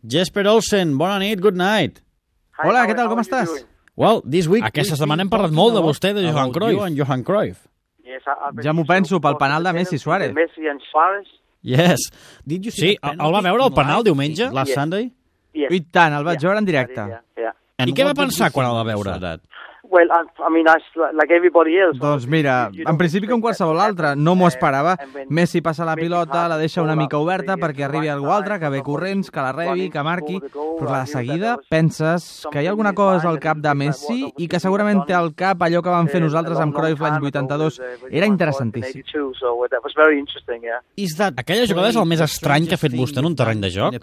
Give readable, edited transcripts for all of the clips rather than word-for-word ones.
Jesper Olsen, bona nit, good night. Hola, què tal, com estàs? Well, this week... Aquesta setmana hem parlat molt de vostè, de Johan Cruyff. Johan Cruyff. Ja m'ho penso, pel penal de Messi Suárez. Yes. Did you see el va veure el penal diumenge? Last Sunday? I tant, el vaig veure en directe. I què va pensar quan el va veure? Well, I mean, like everybody else. Doncs mira, en principi com qualsevol altre, no m'ho esperava. Messi passa la pilota, la deixa una mica oberta perquè arribi algú altre, que ve corrents, que la rebi, que marqui, però de seguida penses que hi ha alguna cosa al cap de Messi i que segurament té al cap allò que vam fer nosaltres amb Cruyff l'any 82. Era interessantíssim. Aquella jugada és el més estrany que ha fet vostè en un terreny de joc?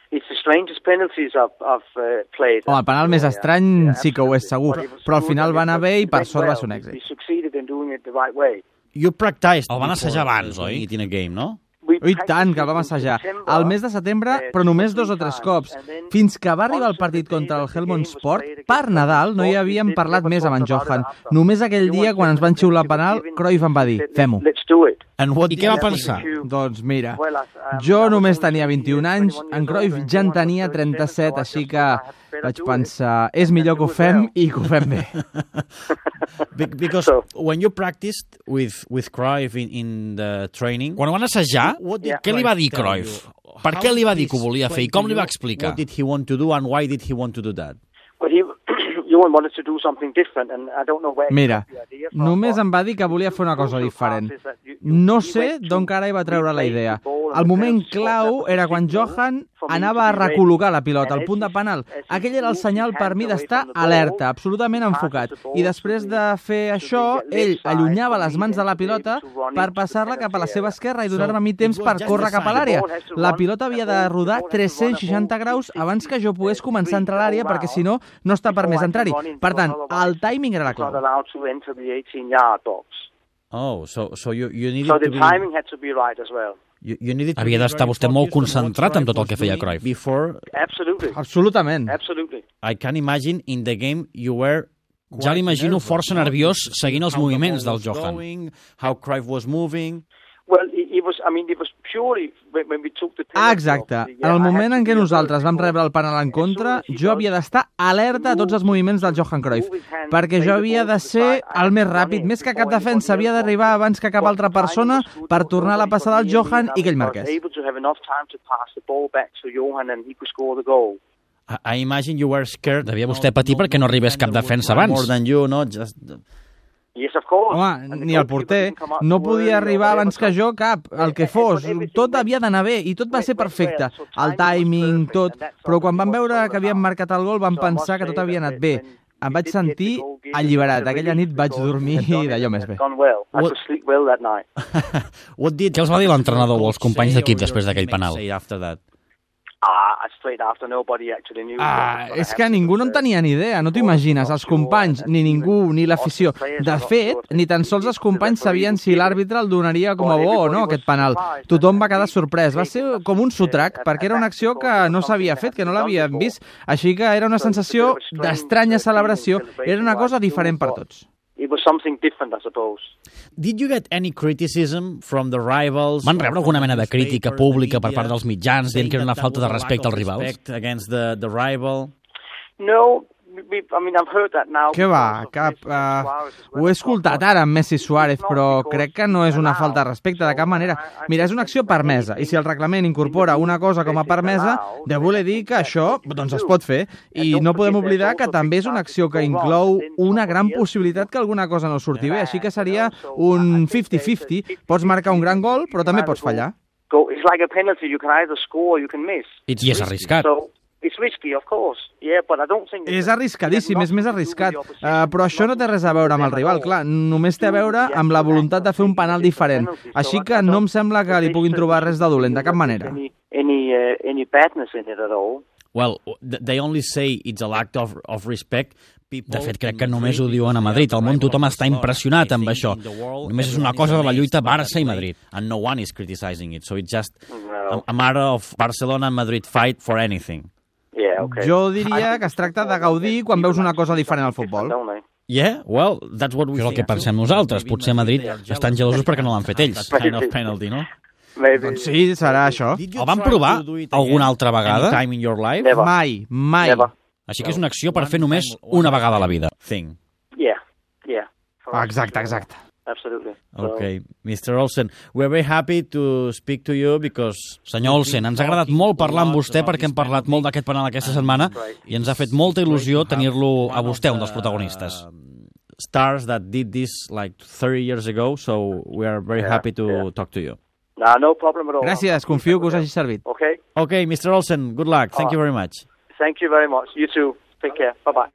It's the strangest penalties I've played. El penal més estrany sí que ho és segur, però al final va anar bé i per sort va ser un èxit. We succeeded in doing it the right way. You practiced. El van assajar abans, oi? In a game, no? I tant, que el vam assajar. Al mes de setembre, però només 2 o 3 cops. Fins que va arribar el partit contra el Helmond Sport, per Nadal no hi havíem parlat més amb en Johan. Només aquell dia, quan ens van xiular penal, Cruyff em va dir, fem-ho. I què va pensar? Doncs mira, jo només tenia 21 anys, en Cruyff ja en tenia 37, així que vaig pensar, és millor que ho fem i que ho fem bé. Because when you practiced with Cruyff in the training... Quan ho van assajar, què li va dir Cruyff? Per què li va dir que ho volia fer i com li va explicar? What did he want to do and why did he want to do that? Well, Johan wanted to do something different and I don't know where. Mira, només em va dir que volia fer una cosa diferent. No sé d'on carai va treure la idea. El moment clau era quan Johan anava a recol·locar la pilota al punt de penal. Aquell era el senyal per mi d'estar alerta, absolutament enfocat. I després de fer això, ell allunyava les mans de la pilota per passar-la cap a la seva esquerra i donar-me a mi temps per córrer cap a l'àrea. La pilota havia de rodar 360 graus abans que jo pogués començar a entrar a l'àrea perquè si no, no està permès entrar-hi. Per tant, el timing era la clau. Oh, so you needed So the timing had to be right as well. Havia d'estar vostè molt concentrat en tot el que feia Cruyff. Absolutely. Absolutament. Absolutely. I can imagine in the game you were... Ja l'imagino força nerviós seguint els moviments del Johan. How Cruyff was moving... Well, it was purely when we took the penalty. Exacte. En el moment en què nosaltres vam rebre el penal en contra, jo havia d'estar alerta a tots els moviments del Johan Cruyff, perquè jo havia de ser el més ràpid, més que cap defensa, havia d'arribar abans que cap altra persona per tornar a la passada al Johan i que ell marqués. I imagine you were scared. Devia vostè patir perquè no arribés cap defensa abans. More than you, no? Just... Home, ni el porter. No podia arribar abans que jo cap, el que fos. Tot havia d'anar bé i tot va ser perfecte. El timing, tot. Però quan vam veure que havien marcat el gol vam pensar que tot havia anat bé. Em vaig sentir alliberat. Aquella nit vaig dormir d'allò més bé. Què els va dir l'entrenador o els companys d'equip després d'aquell penal? És que ningú no en tenia ni idea, no t'ho imagines, els companys, ni ningú, ni l'afició. De fet, ni tan sols els companys sabien si l'àrbitre el donaria com a bo o no, aquest penal. Tothom va quedar sorprès, va ser com un sotrac, perquè era una acció que no s'havia fet, que no l'havíem vist, així que era una sensació d'estranya celebració, era una cosa diferent per tots. It was something different, I suppose. Did you get any criticism from the rivals? Van rebre alguna mena de crítica pública per part dels mitjans dient que era una falta de respecte als rivals? Against the rival? No, I've heard that now. Què va? Cap. Ho he escoltat ara amb Messi Suárez, però crec que no és una falta de respecte de cap manera. Mira, és una acció permesa, i si el reglament incorpora una cosa com a permesa, deu voler dir que això doncs es pot fer. I no podem oblidar que també és una acció que inclou una gran possibilitat que alguna cosa no surti bé, així que seria un 50-50. Pots marcar un gran gol, però també pots fallar. It's like a penalty, you can either score or you can miss. I és arriscat. It's risky, of course. Yeah, but I don't think... És arriscadíssim, és més arriscat. Però això no té res a veure amb el rival, clar. Només té a veure amb la voluntat de fer un penal diferent. Així que no em sembla que li puguin trobar res de dolent, de cap manera. Any badness in it at all. Well, they only say it's a lack of respect. De fet, crec que només ho diuen a Madrid. Al món tothom està impressionat amb això. Només és una cosa de la lluita Barça i Madrid. And no one is criticizing it. So it's just a matter of Barcelona and Madrid fight for anything. Yeah, okay. Jo diria que es tracta de gaudir quan veus una cosa diferent al futbol. Yeah, well, that's what we think. És el que pensem nosaltres. Potser a Madrid estan gelosos perquè no l'han fet ells. Kind of penalty, no? Maybe. Doncs sí, serà això. El van provar alguna altra vegada? Time in your life? Never. Mai. Never. Així que és una acció per fer només una vegada a la vida. Thing. Yeah. Exacte. Absolutely. Okay, Mr. Olsen, we're very happy to speak to you because... Senyor Olsen, ens ha agradat molt parlar amb vostè perquè hem parlat molt d'aquest penal aquesta setmana i ens ha fet molta il·lusió tenir-lo a vostè, un dels protagonistes. Stars that did this like 30 years ago, so we are very happy to talk to you. No problem at all. Gràcies, confio que us hagi servit. Okay. Okay, Mr. Olsen, good luck. Thank you very much. Thank you very much. You too. Take care. Bye-bye.